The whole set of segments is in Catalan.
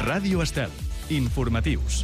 Ràdio Estel. Informatius.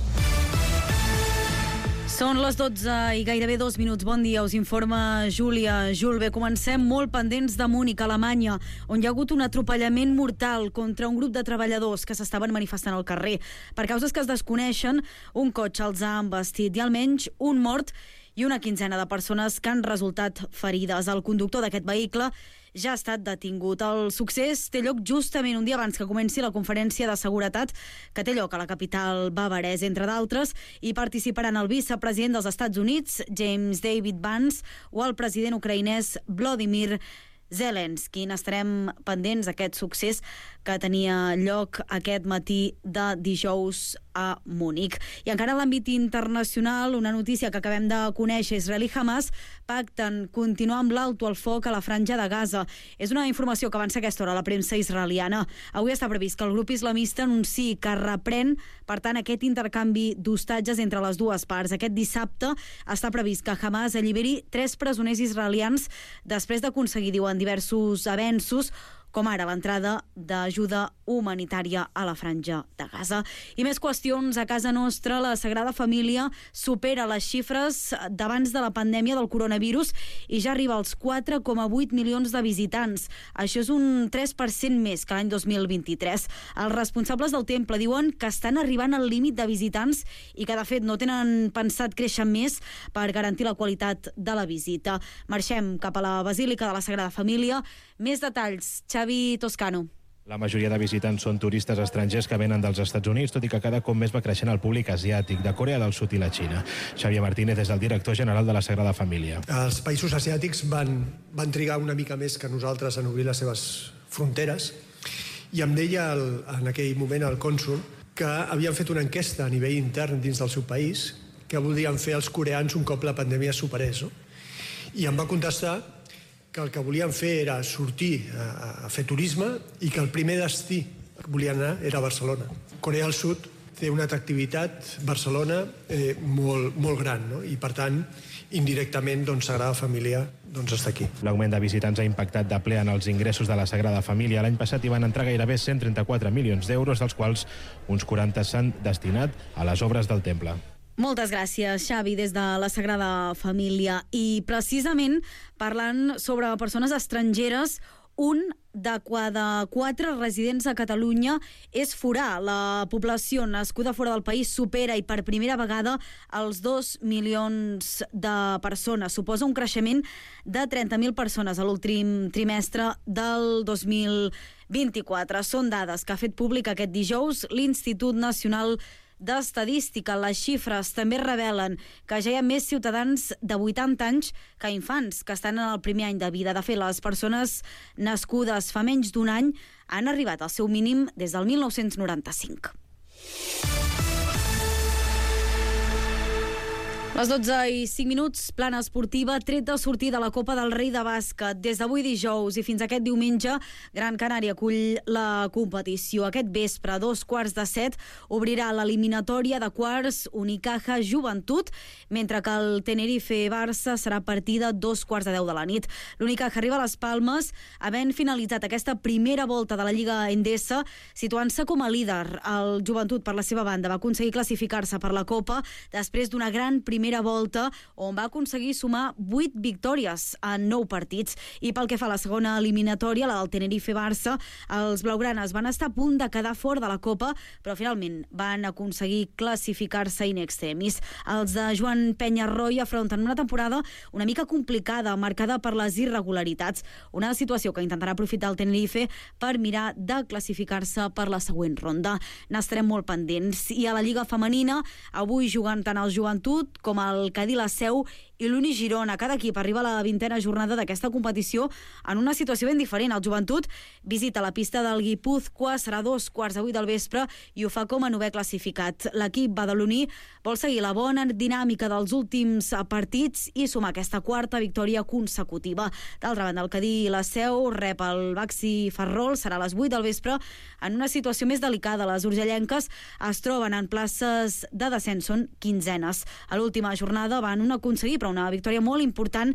Són les 12 i gairebé 2 minuts. Bon dia, us informa Júlia Julve. Comencem molt pendents de Múnich, Alemanya, on hi ha hagut un atropellament mortal contra un grup de treballadors que s'estaven manifestant al carrer. Per causes que es desconeixen, un cotxe els ha embestit i almenys un mort i una quinzena de persones que han resultat ferides. El conductor d'aquest vehicle ja ha estat detingut. El succés té lloc justament un dia abans que comenci la conferència de seguretat que té lloc a la capital bavaresa. Entre d'altres, hi participaran el vicepresident dels Estats Units, James David Vance, o el president ucraïnès Volodymyr Zelensky. Estarem pendents d'aquest succés que tenia lloc aquest matí de dijous a Múnich. I encara a l'àmbit internacional, una notícia que acabem de conèixer: Israel i Hamas pacten continuar amb l'alto al foc a la franja de Gaza. És una informació que avança a aquesta hora a la premsa israeliana. Avui està previst que el grup islamista anunciï que reprèn, per tant, aquest intercanvi d'hostatges entre les dues parts. Aquest dissabte està previst que Hamas alliberi 3 presoners israelians després d'aconseguir, diuen, diversos avenços, com ara l'entrada d'ajuda humanitària a la franja de Gaza. I més qüestions a casa nostra. La Sagrada Família supera les xifres d'abans de la pandèmia del coronavirus i ja arriba als 4,8 milions de visitants. Això és un 3% més que l'any 2023. Els responsables del temple diuen que estan arribant al límit de visitants i que, de fet, no tenen pensat créixer més per garantir la qualitat de la visita. Marxem cap a la Basílica de la Sagrada Família. Més detalls, Xavi Toscano. La majoria de visitants són turistes estrangers que venen dels Estats Units, tot i que cada cop més va creixent el públic asiàtic, de Corea del Sud i la Xina. Xavier Martínez és el director general de la Sagrada Família. Els països asiàtics van trigar una mica més que nosaltres en obrir les seves fronteres, i em deia en aquell moment el cònsol que havien fet una enquesta a nivell intern dins del seu país que voldrien fer els coreans un cop la pandèmia es superés. I em va contestar que el que volien fer era sortir a fer turisme i que el primer destí que volien anar era Barcelona. Corea del Sud té una atractivitat, Barcelona, molt gran, no? I per tant, indirectament, Sagrada Família està aquí. L'augment de visitants ha impactat de ple en els ingressos de la Sagrada Família. L'any passat hi van entrar gairebé 134 milions d'euros, dels quals uns 40 s'han destinat a les obres del temple. Moltes gràcies, Xavi, des de la Sagrada Família. I precisament parlant sobre persones estrangeres, un de cada 4 residents a Catalunya és forà. La població nascuda fora del país supera i per primera vegada els 2 milions de persones. Suposa un creixement de 30.000 persones a l'últim trimestre del 2024. Són dades que ha fet públic aquest dijous l'Institut Nacional d'Estadística. Les xifres també revelen que ja hi ha més ciutadans de 80 anys que infants que estan en el primer any de vida. De fet, les persones nascudes fa menys d'un any han arribat al seu mínim des del 1995. Les 12 i 5 minuts, plana esportiva, tret de sortir de la Copa del Rei de bàsquet. Des d'avui dijous i fins aquest diumenge, Gran Canària acull la competició. Aquest vespre, a 7:15, obrirà l'eliminatòria de quarts Unicaja Joventut, mentre que el Tenerife-Barça serà a partir de 2:15 de la nit. L'Unicaja arriba a les Palmes, havent finalitzat aquesta primera volta de la Lliga Endesa, situant-se com a líder. El Joventut, per la seva banda, va aconseguir classificar-se per la Copa després d'una gran primera volta on va aconseguir sumar 8 victòries en 9 partits. I pel que fa a la segona eliminatòria, la del Tenerife-Barça, els blaugranes van estar a punt de quedar fora de la Copa, però finalment van aconseguir classificar-se in extremis. Els de Joan Penyarroia afronten una temporada una mica complicada, marcada per les irregularitats, una situació que intentarà aprofitar el Tenerife per mirar de classificar-se per la següent ronda. N'estarem molt pendents. I a la Lliga Femenina, avui jugant tant el Joventut com el Cadí La Seu i l'Uni Girona. Cada equip arriba a la 20a jornada d'aquesta competició en una situació ben diferent. El Joventut visita la pista del Guipúzcoa, serà 2:15 del vespre i ho fa com a 9è classificat. L'equip badaloní vol seguir la bona dinàmica dels últims partits i sumar aquesta 4a victòria consecutiva. D'altra banda, el Cadí La Seu rep el Baxi Ferrol, serà a les 8 del vespre, en una situació més delicada. Les urgellenques es troben en places de descens, són quinzenes. A l'última jornada van aconseguir però una victòria molt important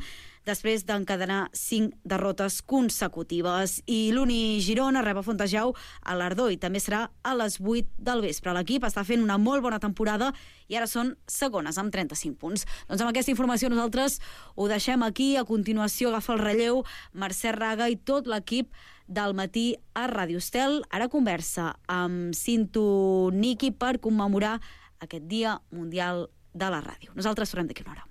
després d'encadenar 5 derrotes consecutives. I l'Uni Girona rep a Fontejau a l'Ardó i també serà a les 8 del vespre. L'equip està fent una molt bona temporada i ara són segones amb 35 punts. Doncs amb aquesta informació nosaltres ho deixem aquí. A continuació agafa el relleu Mercè Raga i tot l'equip del matí a Ràdio Estel. Ara conversa amb Cinto Niki per commemorar aquest Dia Mundial de la Ràdio. Nosaltres tornem d'aquí una hora.